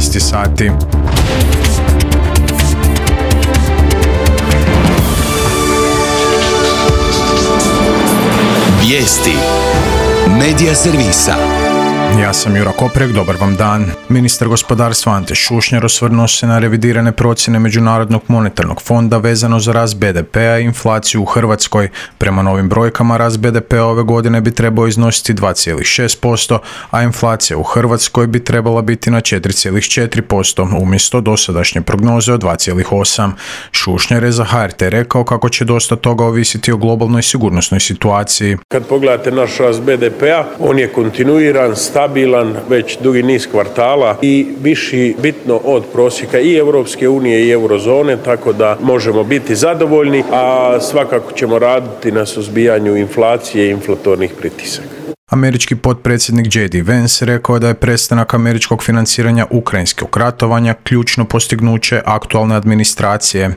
12 sati. Vijesti Medija servisa. Ja sam Jura Koprek, dobar vam dan. Ministar gospodarstva Ante Šušnjar osvrnuo se na revidirane procjene Međunarodnog monetarnog fonda vezano za rast BDP-a i inflaciju u Hrvatskoj. Prema novim brojkama rast BDP-a ove godine bi trebao iznositi 2,6%, a inflacija u Hrvatskoj bi trebala biti na 4,4% umjesto dosadašnje prognoze od 2,8%. Šušnjar je za HRT rekao kako će dosta toga ovisiti o globalnoj sigurnosnoj situaciji. Kad pogledate naš rast BDP-a, on je kontinuiran, stabilan već dugi niz kvartala i viši bitno od prosjeka i Europske unije i eurozone, tako da možemo biti zadovoljni, a svakako ćemo raditi na suzbijanju inflacije i inflatornih pritisaka. Američki potpredsjednik J.D. Vance rekao je da je prestanak američkog financiranja ukrajinskog ratovanja ključno postignuće aktualne administracije.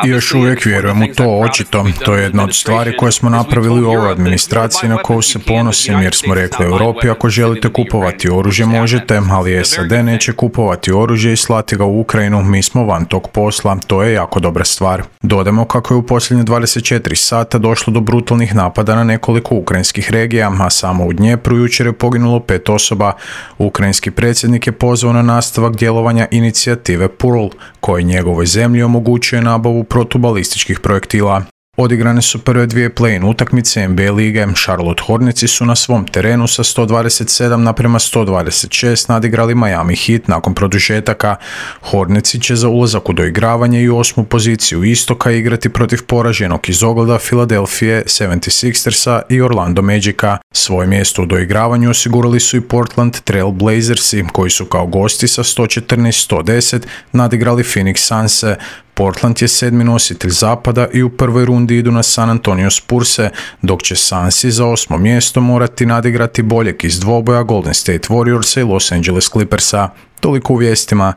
I još uvijek vjerujem u to, očito. To je jedna od stvari koje smo napravili u ovoj administraciji na koju se ponosim, jer smo rekli Europi ako želite kupovati oružje možete, ali SAD neće kupovati oružje i slati ga u Ukrajinu, mi smo van tog posla, to je jako dobra stvar. Dodamo kako je u posljednje 24 sata došlo do brutalnih napada na nekoliko ukrajinskih regija, a samo u Dnjepru jučer je poginulo 5 osoba. Ukrajinski predsjednik je pozvao na nastavak djelovanja inicijative PURL, koji njegovoj zemlji omogućuje nabavu protubalističkih projektila. Odigrane su prve dvije play-in utakmice NBA lige. Charlotte Hornetsi su na svom terenu sa 127:126 nadigrali Miami Heat nakon produžetaka. Hornetsi će za ulazak u doigravanje i 8. poziciju istoka igrati protiv poraženog iz ogleda Philadelphia 76ersa i Orlando Magica. Svoje mjesto u doigravanju osigurali su i Portland Trail Blazersi, koji su kao gosti sa 114:110 nadigrali Phoenix Sunse. Portland je 7. nositelj zapada i u prvoj rundi idu na San Antonio Spurse, dok će Sunsi za 8. mjesto morati nadigrati boljeg iz dvoboja Golden State Warriorsa i Los Angeles Clippersa. Toliko u vijestima.